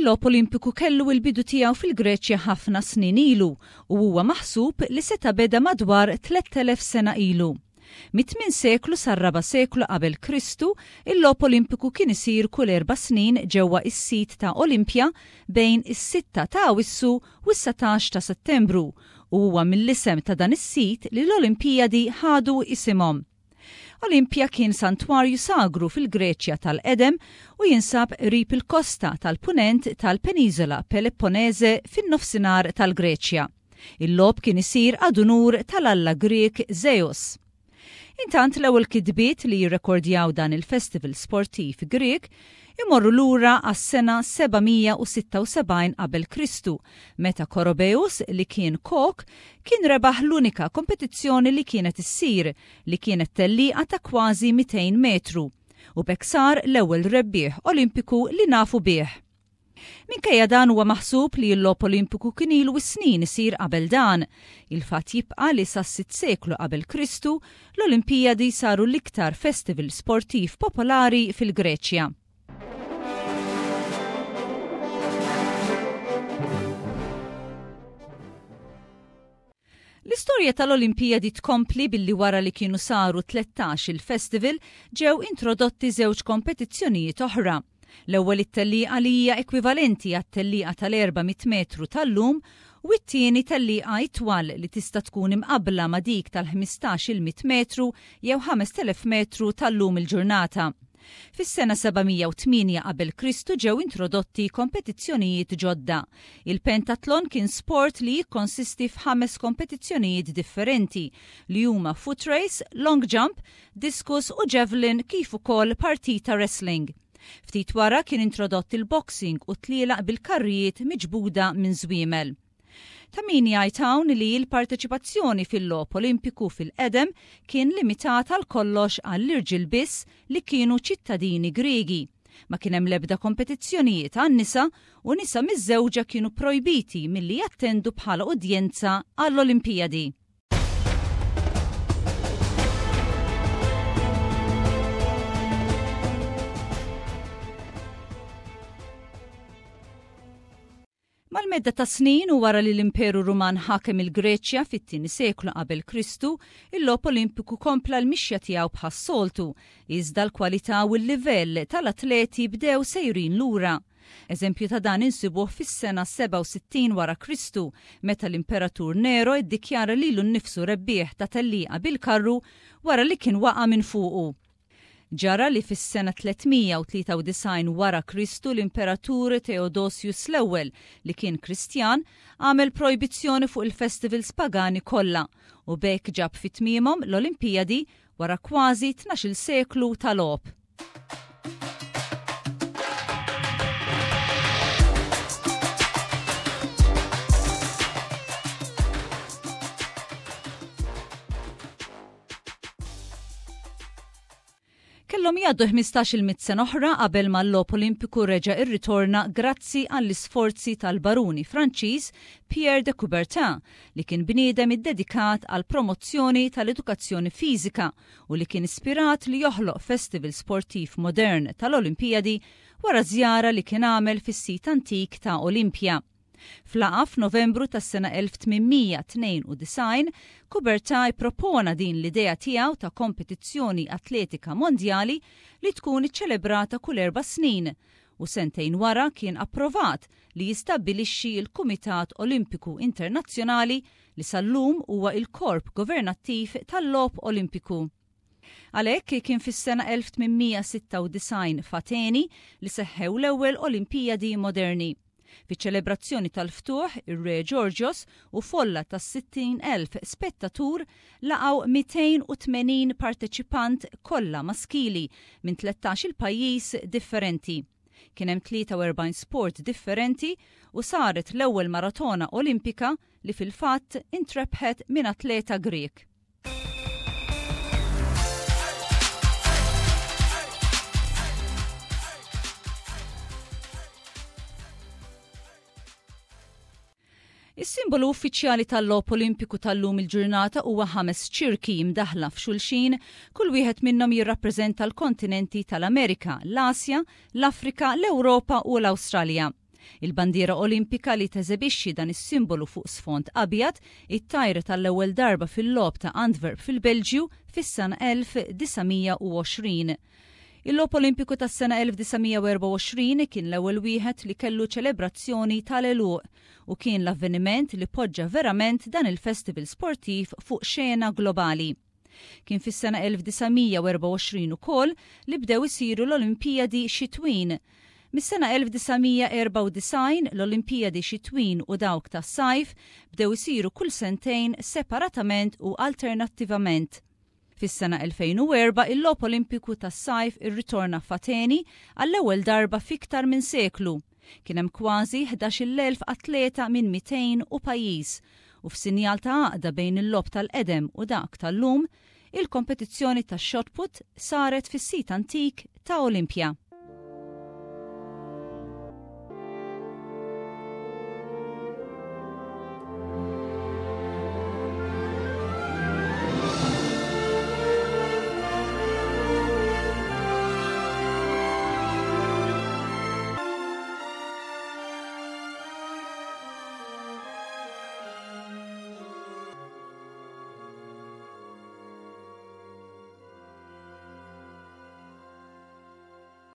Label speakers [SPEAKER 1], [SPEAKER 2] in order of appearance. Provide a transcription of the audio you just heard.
[SPEAKER 1] Il-Logħob Olimpiku kellu l-bidu tiegħu fil-Greċja ħafna snin ilu u huwa maħsub li seta' beda madwar 3,000 sena ilu. Mit-tmien seklu sar-raba' seklu qabel Kristu, il-Logħob Olimpiku kien isir kull erba' snin ġewwa is-sit ta' Olimpja bejn is-sitta ta' Awissu u s-satax ta' Settembru u huwa mill-isem ta' dan is-sit li l-Olimpijadi ħadu isimhom. Olimpja kien santwarju sagru fil-Greċja tal-qedem u jinsab qrib il-kosta tal-punent tal-peniżola Pelepponese fin-nofsinhar tal-Greċja. Il-logħob kien isir ad unur tal-alla Grieg Zeus. Intant l-ewwel kitbiet li jirrekordjaw dan il-festival sportiv Grieg imorru lura għas-sena 776 qabel Kristu, meta Korobeus, li kien kok, kien rebaħ l-unika kompetizzjoni li kienet issir, li kienet tellieqa ta' kważi 200 metru, u b'hekk sar l-ewwel rebbieħ Olimpiku li nafu bih. Minkejja dan huwa maħsub li l-Logħob Olimpiku kien ilu s-snin isir qabel dan. Il-fatt jibqa' li sas-sitt seklu qabel Kristu, l-Olimpijadi saru l-iktar festival sportiv popolari fil-Greċja. L-istorja tal-Olimpijadi tkompli billi wara li kienu saru 13 il-festival ġew introdotti żewġ kompetizzjonijiet oħra. L-ewwel it-tellieqa li hija ekwivalenti għat-tellieqa tal-400 metru tal-lum u t-tieni tellieqa itwal li tista' tkun imqabbla ma' dik tal-15-il mitt metru jew 5,000 metru tal-lum il-ġurnata. Fis-sena 708 qabel Kristu ġew introdotti kompetizzjonijiet ġodda. Il-pentatlon kien sport li jikkonsisti f'ħames kompetizzjonijiet differenti li huma foot race, long jump, discus u javelin kif ukoll partita wrestling. Ftit wara kien introdott il-boxing u tlielaq bil-karrijiet miġbuda minn żwiemel. Ta' min jgħid hawn li l-parteċipazzjoni fil-Logħob Olimpiku fil-qedem kien limitat għal kollox għall-irġiel biss li kienu ċittadini Griegi. Ma kien hemm l-ebda kompetizzjonijiet għan-nisa u nisa miżżewġa kienu projbiti milli jattendu bħala udjenza għall-Olimpijadi. Mal-medda tas-snin u wara li l-Imperu Ruman ħakem il-Greċja fit-tieni seklu qabel Kristu, il-Logħob Olimpiku kompla l-mixja tiegħu bħas-soltu, iżda l-kwalità u l-livell tal-atleti bdew sejrin lura. Eżempju ta' dan insibuh fis-sena 67 wara Kristu, meta l-Imperatur Nero ddikjara lilu nnifsu rebbieħ ta' tellieqa bil-karru wara li kien waqa' minn fuqu. Ġara li fis-sena 393 wara Kristu l-Imperatur Theodosius l-Ewwel, li kien Kristjan, għamel projbizzjoni fuq il-festivals pagani kollha u b'hekk ġab fi tmiemhom l-Olimpijadi wara kważi tnax-il seklu ta' logħob. Kellhom jgħaddu 15-il mitt sena oħra qabel ma l-Logħob Olimpiku reġa' rritorna grazzi għall-isforzi tal-baruni Franċiż Pierre de Coubertin li kien bniedem iddedikat għall-promozzjoni tal-edukazzjoni fiżika u li kien ispirat li joħloq festival sportiv modern tal-Olimpijadi wara żjara li kien għamel fis-sit antik ta' Olimpja. F'laqgħa f'Novembru tas-sena 1892, Coubertin ippropona din l-idea tiegħu ta' kompetizzjoni atletika mondjali li tkun iċċelebrata kull erba' snin u sentejn wara kien approvat li jistabbilixxi l-Kumitat Olimpiku Internazzjonali li sal-lum huwa l-korp governattiv tal-Logħob Olimpiku. Għalhekk, kien fis-sena 1896 f'Ateni li seħħew l-ewwel Olimpijadi moderni. Fiċ-ċelebrazzjoni tal-ftuħ, ir-Re Ġorġos u folla ta' 60,000 spettatur laqgħu 280 parteċipant kollha maskili minn tlettax-il pajjiż differenti. Kien hemm 43 sport differenti u saret l-ewwel maratona Olimpika li fil-fatt intrebħet minn atleta Grieg. Is-simbolu uffiċjali tal-Logħob Olimpiku tal-lum il-ġurnata huwa ħames ċirki mdaħla f'xulxin, kull wieħed minnhom jirrappreżenta l-kontinenti tal-Amerika, l-Asja, l-Afrika, l-Ewropa u l-Awstralja. Il-bandiera Olimpika li teżebixxi dan is-simbolu fuq sfond abjad ittajret għall-ewwel darba fil-Logħob ta' Antwerp fil-Belġju fis-sena 1920. Il-Logħob Olimpiku tas-sena 1924 kien l-ewwel wieħed li kellu ċelebrazzjoni tal-għeluq u kien l-avveniment li poġġa verament dan il-festival sportiv fuq xena globali. Kien fis-sena 1924 ukoll li bdew isiru l-Olimpijadi Xitwin. Mis-sena 1994 l-Olimpijadi Xitwin u dawk tas-sajf bdew isiru kull sentejn separatament u alternattivament. Fis-sena 2004 il-Logħob Olimpiku tas-Sajf irritorna f'Ateni għall-ewwel darba f'iktar minn seklu. Kien hemm kważi 11,000 atleta minn 200 u pajjiż u f'sinjal ta' għaqda bejn il-logħob tal-qedem u dak tal-lum, il-kompetizzjoni tax-shot put saret fis-sit antik ta' Olimpja.